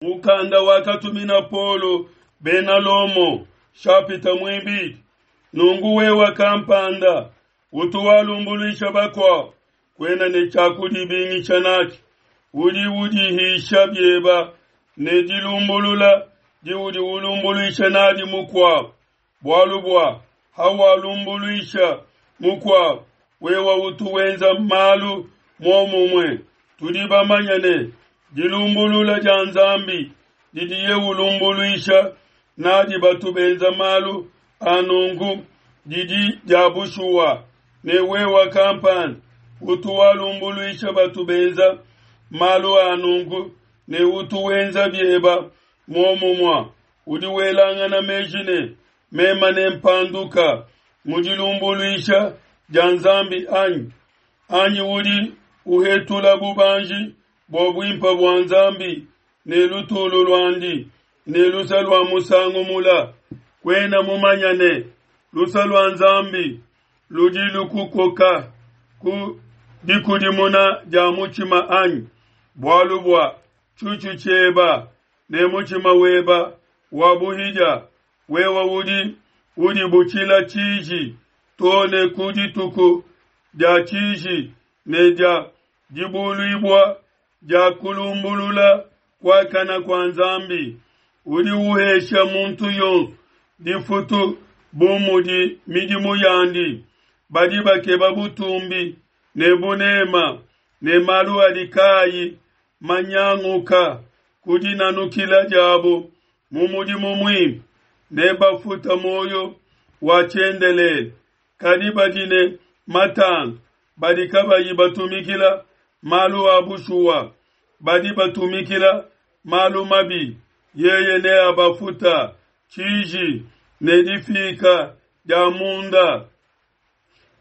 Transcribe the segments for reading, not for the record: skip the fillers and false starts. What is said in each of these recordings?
Mukanda wakatumina Paulo bena Lomo, shapita muibidi. Nunku wewe kampanda utu walumbuluisha bakuabo, kuena ne tshia kudibingisha natshi, udi udihisha bieba ne dilumbulula diudi ulumbuluisha nadi mukuabo, bualu bua hawalumbuluisha mukuabo, wewe utu wenza malu muomumue. Tudi bamanye ne, dilumbulula dia Nzambi didiye ulumbuluisha nadi batu benza malu a nunku didi dia bushuwa, ne wewe kampanda utu walumbuluisha batu benza malu a nunku ne utu wenza bieba muomumue, udi welangana meji ne, mema nempanduka mu dilumbuluisha dia Nzambi anyi? Anyi udi uhetula bubanji bua buimpe bua Nzambi ne lutulu luandi ne luse lua musangu mula? Kuena mumanya ne, luse lua Nzambi ludi lukukoka ku dikudimuna dia mutshima anyi? Bualu bua tshutshu tshieba ne mutshima weba wa buhidia, wewe udi udibutshila tshiji to ne ku dituku dia tshiji ne dia dibuluibua dia kulumbulula kuakana kua Nzambi. Udi uhesha muntu yonso difutu bu mudi midimu yandi. Badi bakeba butumbi ne bunema ne malu adi kaayi manyanguka ku dinanukila diabo mu mudimu muimpe, nebafuta muoyo wa tshiendelele. Kadi badi ne matandu, badi kabayi batumikila malu a bushuwa, badi batumikila malu mabi, yeye neabafuta tshiji ne difika dia munda.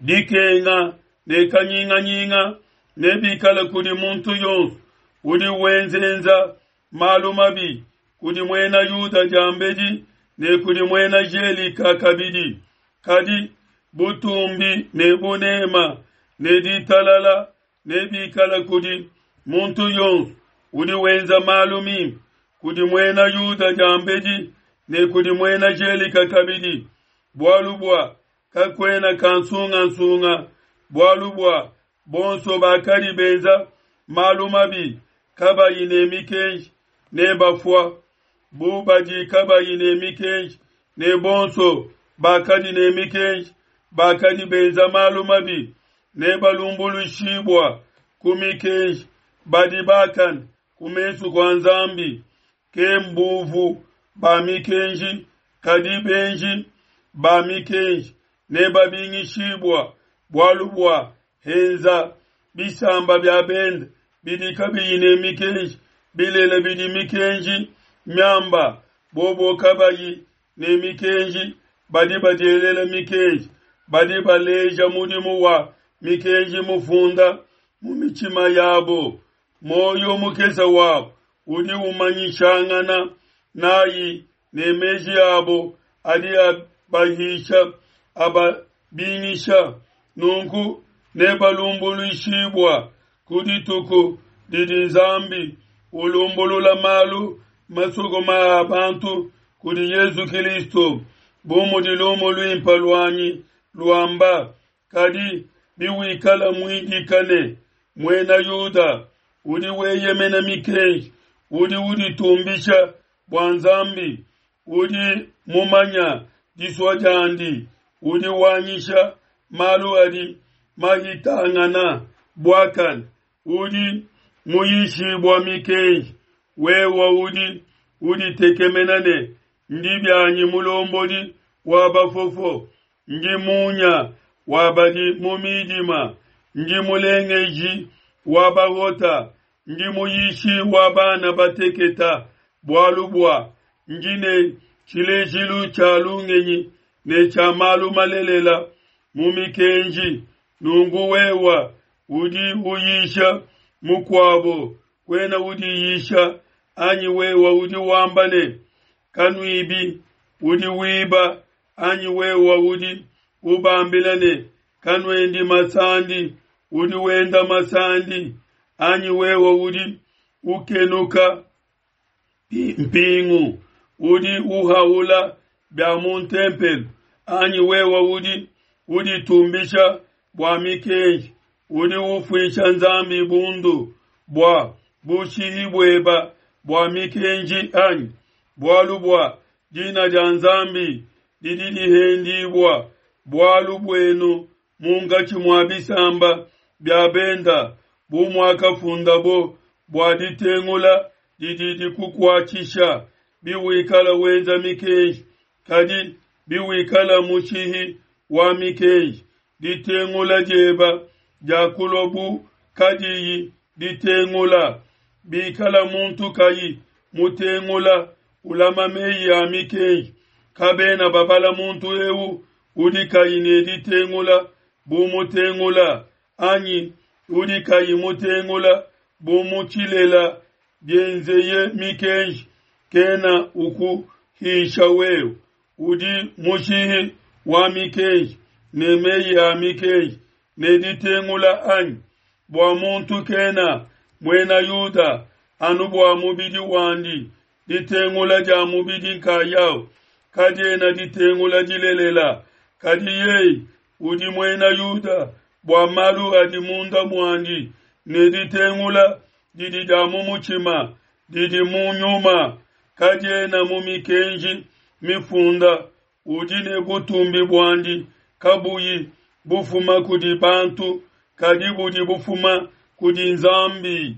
Dikenga ne kanyinganyinga nebikale kudi muntu yonso udi wenzenza malu mabi, kudi muena Yuda diambedi ne kudi muena Gelika kabidi. Kadi butumbi ne bunema ne ditalala nebikale kudi muntu yonso udi wenza malu mimpe, kudi muena Yuda diambedi ne kudi muena Gelika kabidi. Bualu bua kakuena kansungansunga, bualu bua bonso bakadi benza malu mabi kabayi ne mikenji nebafua bu badi kabayi ne mikenji, ne bonso bakadi ne mikenji bakadi benza malu mabi nebalumbuluishibua ku mikenji. Badi bakane ku mesu kua Nzambi ke mbuvu ba mikenji, kadi benji ba mikenji nebabingishibua, bualu bua henza bisamba bia bende bidi kabiyi ne mikenji bilele bidi mikenji miamba, bobo kabayi ne mikenji badi badielela mikenji, badi baleja mudimu wa mikenji mufunda mu mitshima yabo. Muoyo mukese wabo udi umanyishangana nayi ne meji abo adi abahisha ababingisha. Nunku nebalumbuluishibua ku dituku didi Nzambi ulumbulula malu masokoma a bantu kudi Yezu Kilisto, bu mudi lumu luimpe luanyi luamba. Kadi biwikala muidika ne muena Yuda udi weyemena mikenji, udi uditumbisha bua Nzambi, udi mumanya disua diandi, udi wanyisha malu adi mahitangana buakane, udi muyishibua mikenji, wewe udi uditekemena ne, ndi bianyi mulombodi wa bafofo, ndi munya wa badi mu midima, ndi mulengeji wa bahota, ndi muyishi wa bana bateketa, bualu bua ndi ne tshilejilu tshia lungenyi ne tshia malu malelela mu mikenji. Nunku wewe udi uyisha mukuabo, kuena udiyisha anyi? Wewe udi wamba ne, kanuibi, udi wiba anyi? Wewe udi ubambila ne, kanuendi masandi, udi wenda masandi anyi? Wewe udi ukenuka mpingu, udi uhaula bia mu ntempelo, anyi wewe udi uditumbisha bua mikenji, udi ufuisha Nzambi bundu bua bushihi bueba bua mikenji, anyi? Bualu bua dina dia Nzambi didi dihendibua bualu buenu munkatshi mua bisamba bia benda, bu muakafundabo, Bua ditengula didi dikukuatshisha biwikala wenza mikenji, kadi biwikala mushihi wa mikenji, ditengula dieba diakulua bu kadiyi ditengula. Bikala muntu kayi mutengula ulama meyi a mikenji, kabena babala muntu eu udi kayi ne ditengula bu mutengula, anyi udi kayi mutengula bu mu tshilela bienzeye mikenji, kena ukuhisha wewe udi mushihi wa mikenji ne meyi a mikenji ne ditengula, anyi? Bua muntu kena Muena Yuda anu bua mubidi wandi, ditengula dia mubidi nkayau kadiena ditengula dilelela, kadi yeye udi Muena Yuda bua malu adi munda muandi, ne ditengula didi dia mu mutshima, didi mu nyuma, kadiena mu mikenji mifunda. Udi ne butumbi buandi kabuyi bufuma kudi bantu, kadi budi bufuma kudi Nzambi.